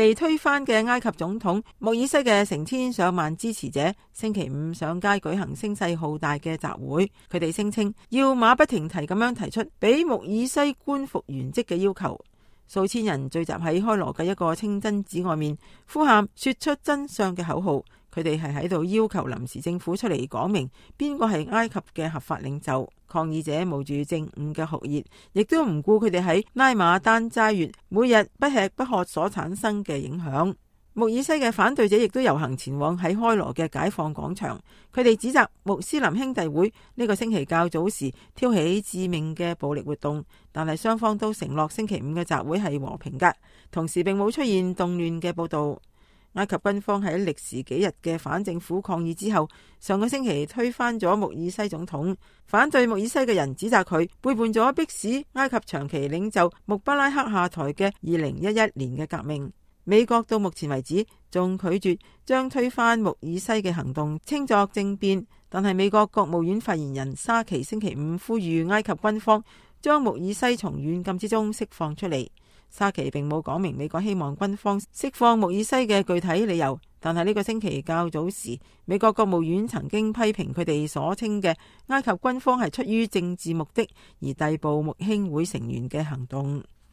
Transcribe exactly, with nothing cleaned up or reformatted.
被推翻嘅埃及總統穆爾西嘅成千上萬支持者星期五上街舉行聲勢浩大嘅集會，佢哋聲稱要馬不停蹄咁樣提出俾穆爾西官復原職嘅要求。數千人聚集喺開羅嘅一個清真寺外面，呼喊說出真相嘅口號。佢哋係喺度要求臨時政府出嚟講明邊個係埃及嘅合法領袖。抗議者冒住正午嘅酷熱，亦都唔顧佢哋喺拉馬丹齋月每日不吃不喝所產生嘅影響。穆爾西嘅反對者亦都遊行前往喺開羅嘅解放廣場，佢哋指責穆斯林兄弟會呢個星期較早時挑起致命嘅暴力活動，但係雙方都承諾星期五嘅集會係和平㗎，同時並冇出現動亂嘅報導。埃及軍方喺歷時幾日嘅反政府抗議之後，上個星期推翻咗穆爾西總統。反對穆爾西嘅人指責佢背叛咗迫使埃及長期領袖穆巴拉克下台嘅二零一一年嘅革命。美國到目前為止仲拒絕將推翻穆爾西嘅行動稱作政變，但係美國國務院發言人沙奇星期五呼籲埃及軍方將穆爾西從軟禁之中釋放出嚟。沙奇並冇講明美國希望軍方釋放穆爾西嘅具體理由，但係呢個星期較早時，美國國務院曾經批評佢哋所稱嘅埃及軍方係出於政治目的而逮捕穆兄會成員嘅行動。